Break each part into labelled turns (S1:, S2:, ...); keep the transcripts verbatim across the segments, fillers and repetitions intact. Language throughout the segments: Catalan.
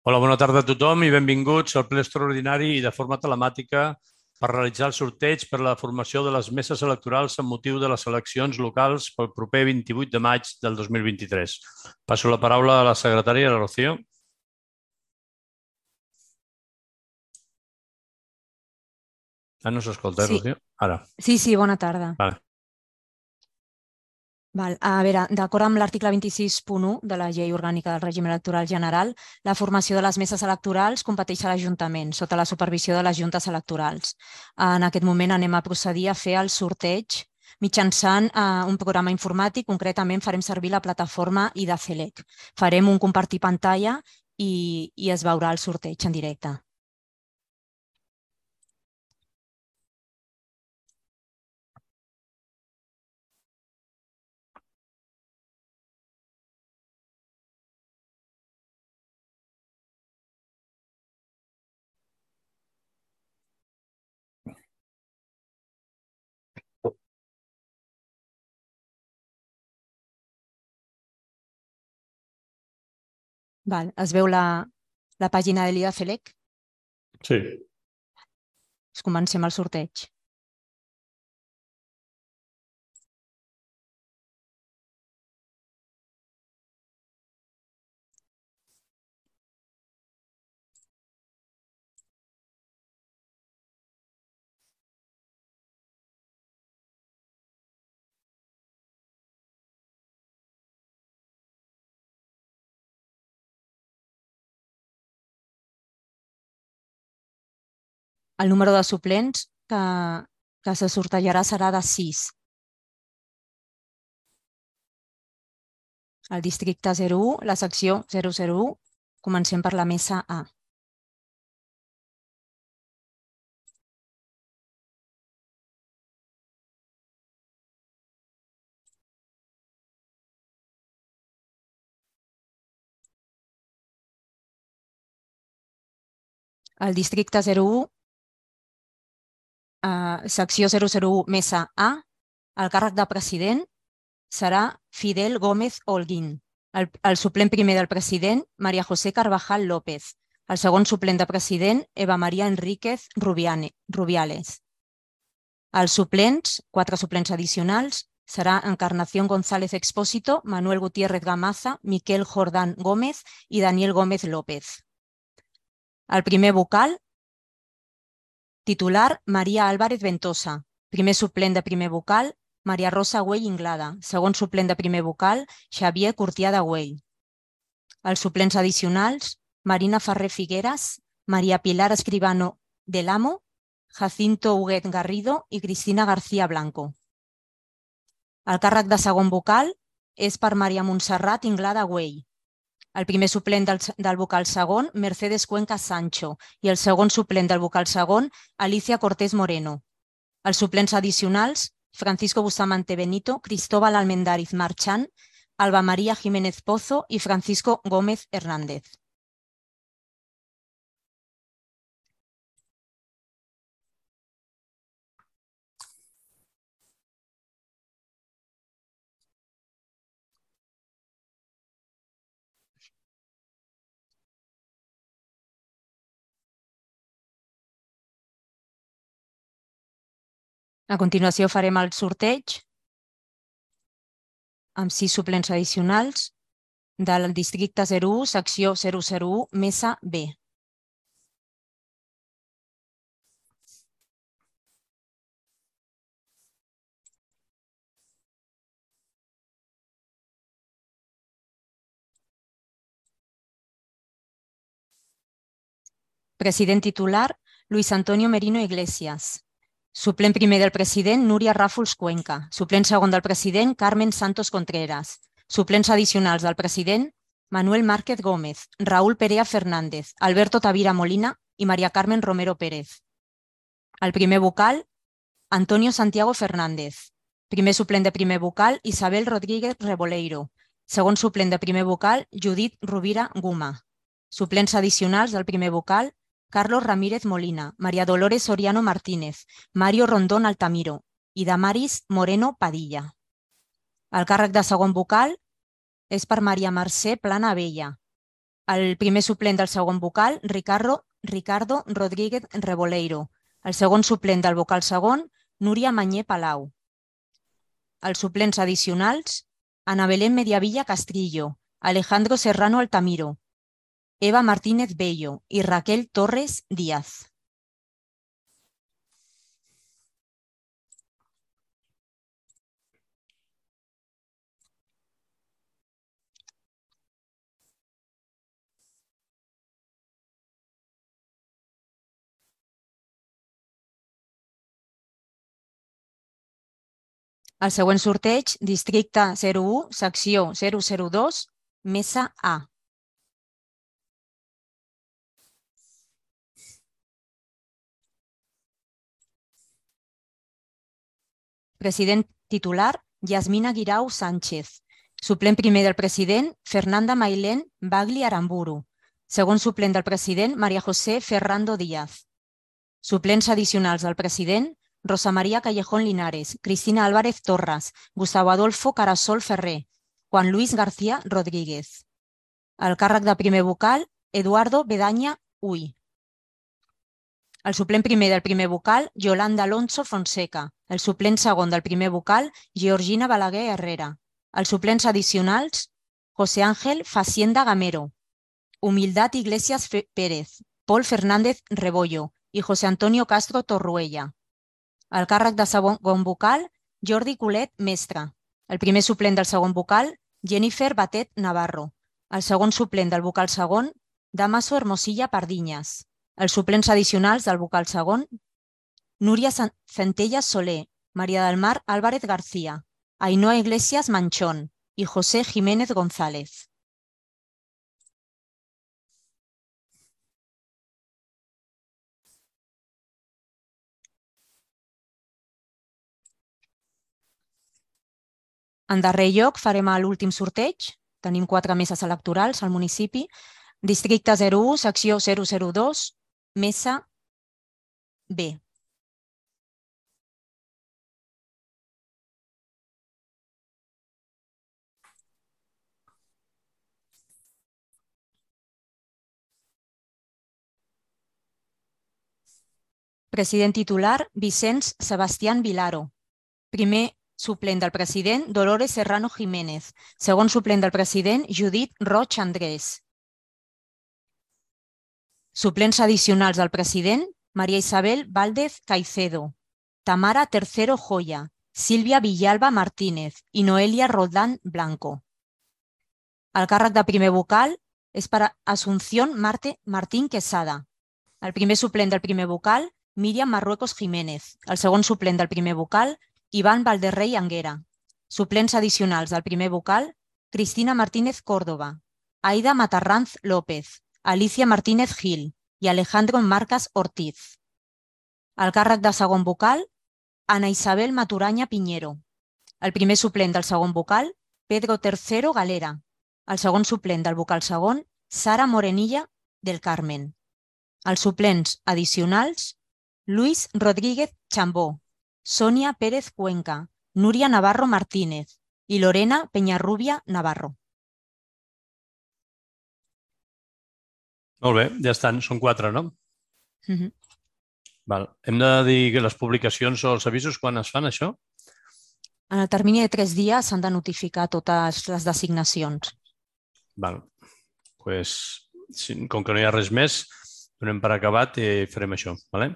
S1: Hola, bona tarda a tothom i benvinguts al ple extraordinari i de forma telemàtica per realitzar el sorteig per a la formació de les meses electorals amb motiu de les eleccions locals pel proper vint-i-vuit de maig del dos mil vint-i-tres. Passo la paraula a la secretària, la Rocío. Ah, no s'escolta, eh,
S2: Sí,
S1: Rocío? Ara.
S2: sí, sí, bona tarda.
S1: Vale.
S2: Val. A veure, d'acord amb l'article vint-i-sis punt u de la Llei Orgànica del Règim Electoral General, la formació de les meses electorals competeix a l'Ajuntament, sota la supervisió de les juntes electorals. En aquest moment anem a procedir a fer el sorteig mitjançant eh, un programa informàtic. Concretament farem servir la plataforma IDACELEC. Farem un compartir pantalla i, i es veurà el sorteig en directe. Val. Es veu la, la pàgina de l'IDACELEC?
S1: Sí.
S2: Comencem el sorteig. El número de suplents que, que se sortejarà serà de sis. El districte zero u, la secció zero zero u, comencem per la mesa A. El districte zero u, eh, secció zero zero u, mesa A, el càrrec de president serà Fidel Gómez Holguín. El, el suplent primer del president, María José Carvajal López. El segon suplent de president, Eva María Enríquez Rubiane, Rubiales. Els suplents, quatre suplents addicionals, serà Encarnación González Expósito, Manuel Gutiérrez Gamaza, Miquel Jordán Gómez i Daniel Gómez López. El primer vocal, titular, María Álvarez Ventosa. Primer suplent de primer vocal, María Rosa Güell Inglada. Segon suplent de primer vocal, Xavier Curtià de Güell. Els suplents addicionals, Marina Ferrer Figueras, María Pilar Escribano del Amo, Jacinto Huguet Garrido i Cristina García Blanco. El càrrec de segon vocal és per Maria Montserrat Inglada Güell. El primer suplent del, del vocal segon, Mercedes Cuenca Sancho, i el segon suplent del vocal segon, Alicia Cortés Moreno. Els suplents addicionals, Francisco Bustamante Benito, Cristóbal Almendariz Marchán, Alba María Jiménez Pozo i Francisco Gómez Hernández. A continuació farem el sorteig amb sis suplents addicionals del districte zero u, secció zero zero u, mesa B. President titular, Luis Antonio Merino Iglesias. Suplent primer del president, Núria Ràfols Cuenca. Suplent segon del president, Carmen Santos Contreras. Suplents addicionals del president, Manuel Márquez Gómez, Raúl Perea Fernández, Alberto Tavira Molina i María Carmen Romero Pérez. El primer vocal, Antonio Santiago Fernández. Primer suplent de primer vocal, Isabel Rodríguez Reboleiro. Segon suplent de primer vocal, Judit Rovira Guma. Suplents addicionals del primer vocal, Carlos Ramírez Molina, María Dolores Soriano Martínez, Mario Rondón Altamiro i Damaris Moreno Padilla. El càrrec de segon vocal és per Maria Mercè Plana Abella. El primer suplent del segon vocal, Ricardo, Ricardo Rodríguez Reboleiro. El segon suplent del vocal segon, Núria Mañé Palau. Els suplents addicionals, Ana Belén Mediavilla Castrillo, Alejandro Serrano Altamiro, Eva Martínez Bello i Raquel Torres Díaz. El següent sorteig, districte zero u, secció zero zero dos, mesa A. President titular, Yasmina Guirao Sánchez. Suplent primer del president, Fernanda Mailén Bagli Aramburu. Segon suplent del president, María José Ferrando Díaz. Suplents addicionals del president, Rosa María Callejón Linares, Cristina Álvarez Torras, Gustavo Adolfo Carasol Ferrer, Juan Luis García Rodríguez. El càrrec de primer vocal, Eduardo Bedaña Uy. El suplent primer del primer vocal, Yolanda Alonso Fonseca. El suplent segon del primer vocal, Georgina Balaguer Herrera. Els suplents addicionals, José Ángel Facienda Gamero, Humildad Iglesias Pérez, Pol Fernández Rebollo i José Antonio Castro Torruella. El càrrec de segon vocal, Jordi Colet Mestre. El primer suplent del segon vocal, Jennifer Batet Navarro. El segon suplent del vocal segon, Damaso Hermosilla Pardiñas. Els suplents addicionals del vocal segon, Núria Centellas Soler, María del Mar Álvarez García, Ainhoa Iglesias Manchón i José Jiménez González. En darrer lloc, farem l'últim sorteig. Tenim quatre meses electorals al municipi. Districte zero u, secció zero zero dos, mesa B. President titular, Vicenç Sebastián Vilaro. Primer suplent del president, Dolores Serrano Jiménez. Segon suplent del president, Judit Roig Andrés. Suplents addicionals del president, María Isabel Valdez Caicedo, Tamara Tercero Joya, Sílvia Villalba Martínez i Noelia Roldán Blanco. El càrrec de primer vocal és per a Asunción Marte Martín Quesada. El primer suplent del primer vocal, Míriam Marruecos Jiménez. El segon suplent del primer vocal, Iván Valderrey Anguera. Suplents addicionals del primer vocal, Cristina Martínez Córdoba, Aida Matarranz López, Alicia Martínez Gil i Alejandro Marcas Ortiz. El càrrec de segon vocal, Ana Isabel Maturanya Piñero. El primer suplent del segon vocal, Pedro Tercero Galera. El segon suplent del vocal segon, Sara Morenilla del Carmen. Els suplents addicionals, Luis Rodríguez Chambó, Sonia Pérez Cuenca, Núria Navarro Martínez i Lorena Peñarrubia Navarro.
S1: Molt bé, ja estan, són quatre, no?
S2: Uh-huh.
S1: Val. Hem de dir que les publicacions o els avisos quan es fan, això?
S2: En el termini de tres dies s'han de notificar totes les designacions.
S1: Val. Pues, com que no hi ha res més, donem per acabat i farem això. Vale?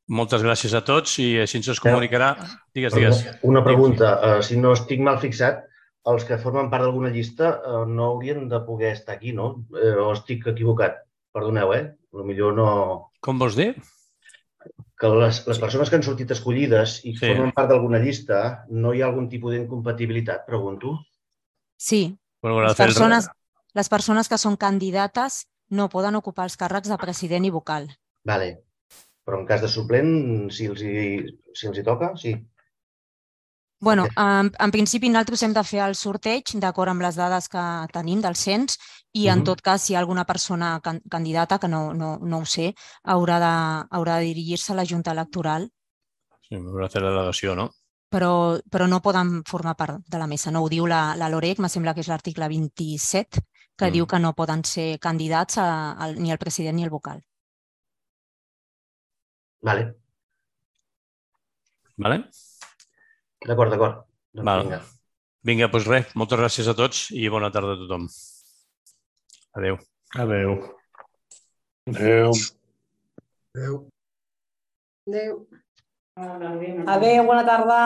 S1: Moltes gràcies a tots i així ens comunicarà. Digues, digues.
S3: Una pregunta. Uh, si no estic mal fixat, els que formen part d'alguna llista uh, no haurien de poder estar aquí, no? Uh, o estic equivocat? Perdoneu, eh? Potser no...
S1: Com vols dir?
S3: Que les, les persones que han sortit escollides i
S1: Sí.
S3: formen part d'alguna llista, no hi ha algun tipus d'incompatibilitat, pregunto?
S2: Sí,
S1: Bueno,
S2: les persones, les persones que són candidates no poden ocupar els càrrecs de president i vocal.
S3: Vale. Però en cas de suplent, si els hi, si els hi toca, sí.
S2: Bueno, en, en principi nosaltres hem de fer el sorteig d'acord amb les dades que tenim del cens i en
S3: Mhm.
S2: tot cas si hi ha alguna persona can, candidata, que no, no, no ho sé, haurà de, haurà de dirigir-se a la Junta Electoral,
S1: Sí, m'haurà de fer la delegació, no?
S2: però, però no poden formar part de la mesa. No ho diu la, la LOREC, me sembla que és l'article vint-i-set, que diu que no poden ser candidats ni el president ni el vocal.
S3: Vale.
S1: Vale?
S3: D'acord, d'acord.
S1: Vinga. Vinga, doncs res, moltes gràcies a tots i bona tarda a tothom. Adéu.
S4: Adéu. Adéu.
S5: Adéu.
S6: Adéu. Adéu, bona tarda.